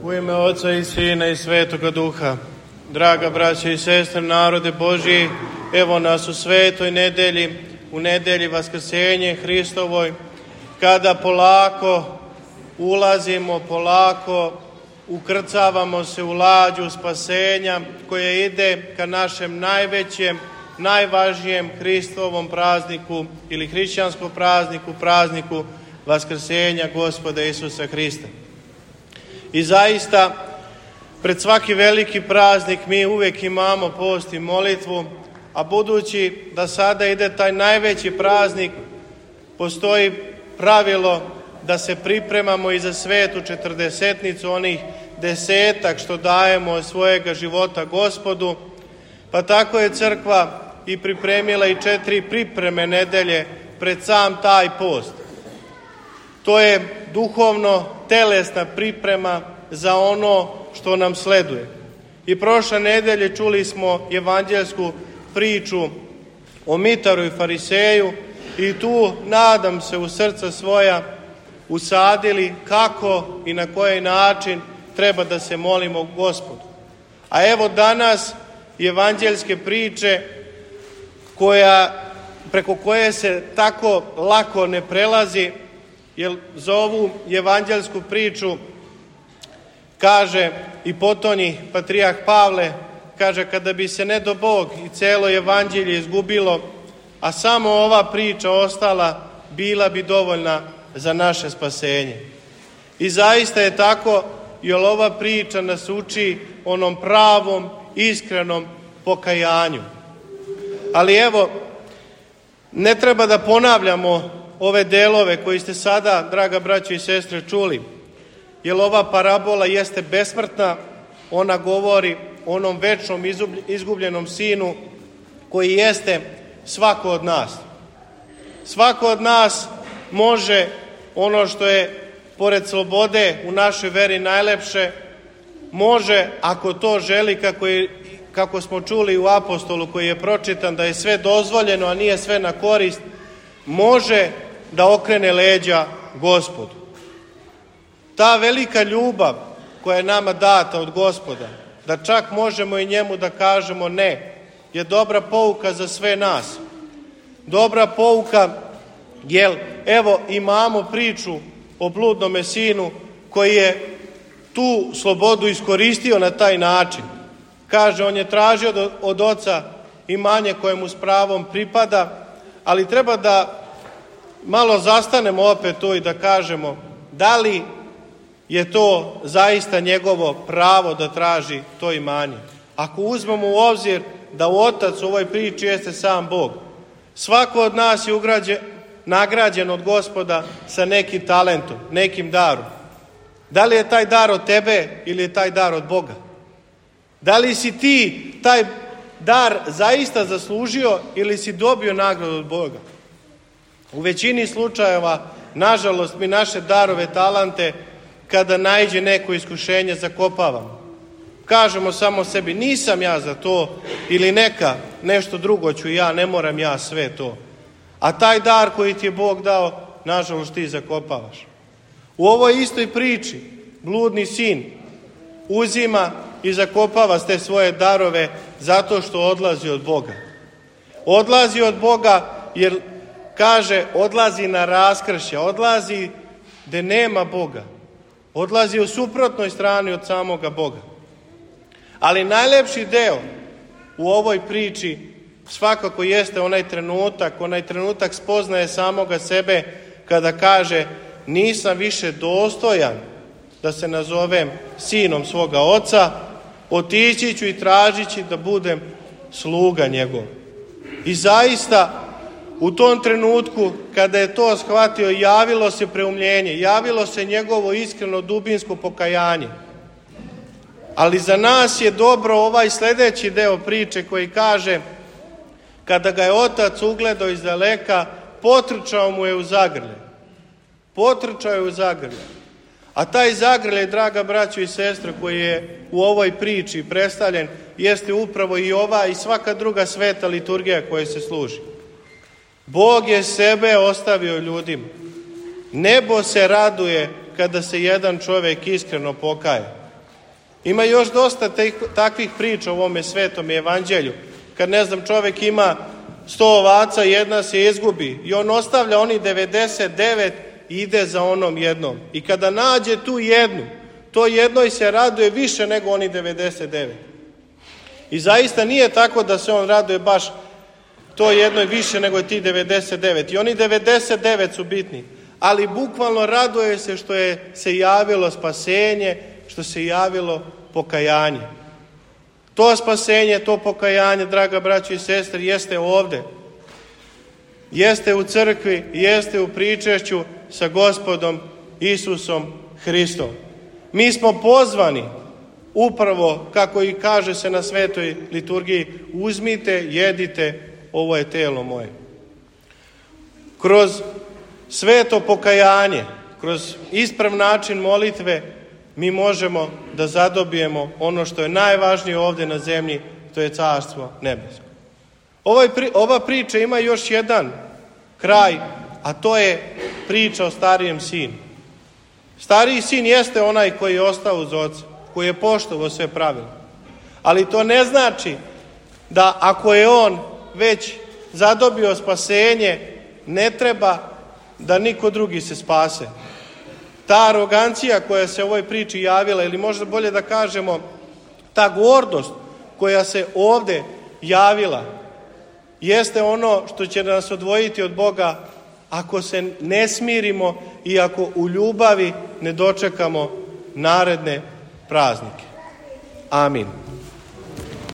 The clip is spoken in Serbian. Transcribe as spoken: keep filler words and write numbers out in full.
U ime Oca i Sina i Svetoga Duha, draga braća i sestre, narode Božji, evo nas u svetoj nedelji, u nedelji Vaskrsenje Hristovoj, kada polako ulazimo, polako ukrcavamo se u lađu spasenja koje ide ka našem najvećem, najvažnijem Hristovom prazniku ili hrišćanskom prazniku, prazniku Vaskrsenja Gospoda Isusa Hrista. I zaista, pred svaki veliki praznik mi uvijek imamo post i molitvu, a budući da sada ide taj najveći praznik, postoji pravilo da se pripremamo i za svetu četrdesetnicu, onih desetak što dajemo od svojega života Gospodu, pa tako je crkva i pripremila i četiri pripreme nedelje pred sam taj post. To je duhovno telesna priprema za ono što nam sleduje. I prošle nedelje čuli smo evanđelsku priču o Mitaru i Fariseju i tu, nadam se, u srca svoja usadili kako i na koji način treba da se molimo Gospodu. A evo danas evanđelske priče koja, preko koje se tako lako ne prelazi, jer za ovu evanđelsku priču kaže i potonji patrijarh Pavle, kaže, kada bi se ne do Bog i celo evanđelje izgubilo, a samo ova priča ostala, bila bi dovoljna za naše spasenje. I zaista je tako, jer ova priča nas uči onom pravom, iskrenom pokajanju. Ali evo, ne treba da ponavljamo ove delove koji ste sada, draga braćo i sestre, čuli, jer ova parabola jeste besmrtna, ona govori o onom večnom izgubljenom sinu koji jeste svako od nas. Svako od nas može ono što je pored slobode u našoj veri najlepše, može, ako to želi, kako, je, kako smo čuli u apostolu koji je pročitan, da je sve dozvoljeno, a nije sve na korist, može da okrene leđa Gospodu. Ta velika ljubav koja je nama data od Gospoda, da čak možemo i njemu da kažemo ne, je dobra pouka za sve nas. Dobra pouka, jer evo imamo priču o bludnome sinu koji je tu slobodu iskoristio na taj način. Kaže, on je tražio od, od oca imanje koje mu s pravom pripada, ali treba da malo zastanemo opet tu i da kažemo da li je to zaista njegovo pravo da traži to imanje. Ako uzmemo u obzir da u otac u ovoj priči jeste sam Bog, svako od nas je ugrađen, nagrađen od Gospoda sa nekim talentom, nekim darom. Da li je taj dar od tebe ili je taj dar od Boga? Da li si ti taj dar zaista zaslužio ili si dobio nagradu od Boga? U većini slučajeva, nažalost, mi naše darove, talente, kada naiđe neko iskušenje, zakopavamo. Kažemo samo sebi, nisam ja za to, ili neka, nešto drugo ću ja, ne moram ja sve to. A taj dar koji ti je Bog dao, nažalost, ti zakopavaš. U ovoj istoj priči, bludni sin uzima i zakopava te svoje darove zato što odlazi od Boga. Odlazi od Boga jer, kaže, odlazi na raskršće, odlazi gde nema Boga. Odlazi u suprotnoj strani od samoga Boga. Ali najlepši deo u ovoj priči svakako jeste onaj trenutak, onaj trenutak spoznaje samoga sebe kada kaže, nisam više dostojan da se nazovem sinom svoga oca, otići ću i tražići da budem sluga njegov. I zaista, u tom trenutku, kada je to shvatio, javilo se preumljenje, javilo se njegovo iskreno dubinsko pokajanje. Ali za nas je dobro ovaj sljedeći deo priče koji kaže, kada ga je otac ugledao iz daleka, potrčao mu je u zagrlje. Potrčao je u zagrlje. A taj zagrljaj, draga braćo i sestre, koji je u ovoj priči predstavljen, jeste upravo i ova i svaka druga sveta liturgija koja se služi. Bog je sebe ostavio ljudima. Nebo se raduje kada se jedan čovjek iskreno pokaje. Ima još dosta te, takvih priča u ovome svetom evanđelju. Kad, ne znam, čovjek ima sto ovaca, jedna se izgubi i on ostavlja oni devedeset devet i ide za onom jednom. I kada nađe tu jednu, to jednoj se raduje više nego oni devedeset devet. I zaista nije tako da se on raduje baš to jednoj više nego ti devedeset devet. I oni devedeset devet su bitni. Ali bukvalno raduje se što je se javilo spasenje, što se javilo pokajanje. To spasenje, to pokajanje, draga braćo i sestre, jeste ovde. Jeste u crkvi, jeste u pričešću sa Gospodom Isusom Hristom. Mi smo pozvani, upravo kako i kaže se na svetoj liturgiji, uzmite, jedite, ovo je telo moje. Kroz sveto pokajanje, kroz isprav način molitve, mi možemo da zadobijemo ono što je najvažnije ovdje na zemlji, to je Carstvo nebesko. Ovaj, ova priča ima još jedan kraj, a to je priča o starijem sinu. Stariji sin jeste onaj koji je ostao uz oca, koji je poštovao sve pravila. Ali to ne znači da ako je on već zadobio spasenje, ne treba da niko drugi se spase. Ta arogancija koja se u ovoj priči javila, ili možda bolje da kažemo, ta gordost koja se ovdje javila, jeste ono što će nas odvojiti od Boga ako se ne smirimo i ako u ljubavi ne dočekamo naredne praznike. Amin.